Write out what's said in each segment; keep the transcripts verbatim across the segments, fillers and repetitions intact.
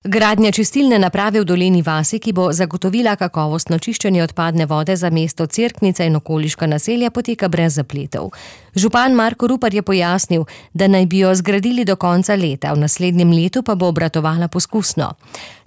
Gradnja čistilne naprave v Dolenji vasi, ki bo zagotovila kakovostno čiščenje odpadne vode za mesto Cerknica in okoliška naselja, poteka brez zapletov. Župan Marko Rupar je pojasnil, da naj bi jo zgradili do konca leta, v naslednjem letu pa bo obratovala poskusno.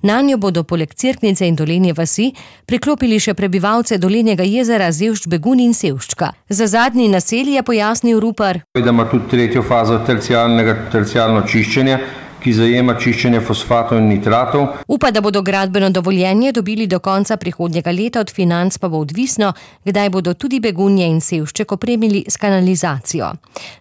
Nanjo bodo poleg Cerknice in Dolenje vasi priklopili še prebivalce Dolenjega jezera, Zevšč, Begunj in Sevščka. Za zadnji naselji je pojasnil Rupar, da ima tudi tretjo fazo tercialnega, tercialno čiščenje, ki zajema čiščenje fosfatov in nitratov. Upa, da bodo gradbeno dovoljenje dobili do konca prihodnjega leta, od financ pa bo odvisno, kdaj bodo tudi Begunje in Sevšček opremili s kanalizacijo.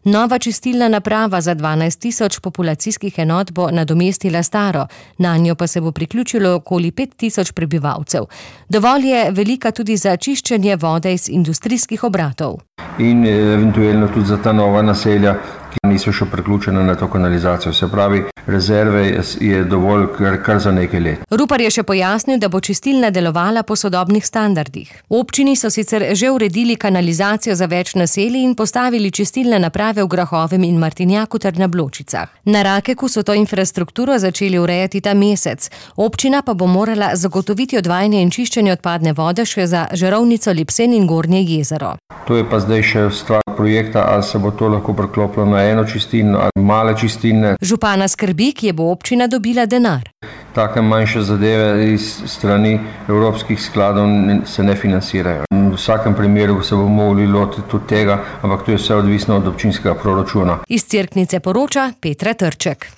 Nova čistilna naprava za dvanajst tisoč populacijskih enot bo nadomestila staro, nanjo pa se bo priključilo okoli pet tisoč prebivalcev. Dovolj je velika tudi za čiščenje vode iz industrijskih obratov. In eventualno tudi za ta nova naselja, ki niso še priključena na to kanalizacijo. Se pravi, rezerve je dovolj kar, kar za nekaj let. Rupar je še pojasnil, da bo čistilna delovala po sodobnih standardih. V občini so sicer že uredili kanalizacijo za več naselij in postavili čistilne naprave v Grahovem in Martinjaku ter na Bločicah. Na Rakeku so to infrastrukturo začeli urejati ta mesec. Občina pa bo morala zagotoviti odvajanje in čiščenje odpadne vode še za Žarovnico, Lipsen in Gornje jezero. To je pa zdaj še stvar projekta, ali se bo to lahko priklopilo na eno čistilno ali male čistilne. Župana skrbi, kje bo občina dobila denar. Take manjše zadeve iz strani evropskih skladov se ne financirajo. V vsakem primeru se bomo mogli lotiti tudi tega, ampak to je vse odvisno od občinskega proračuna. Iz Cerknice poroča Petra Trček.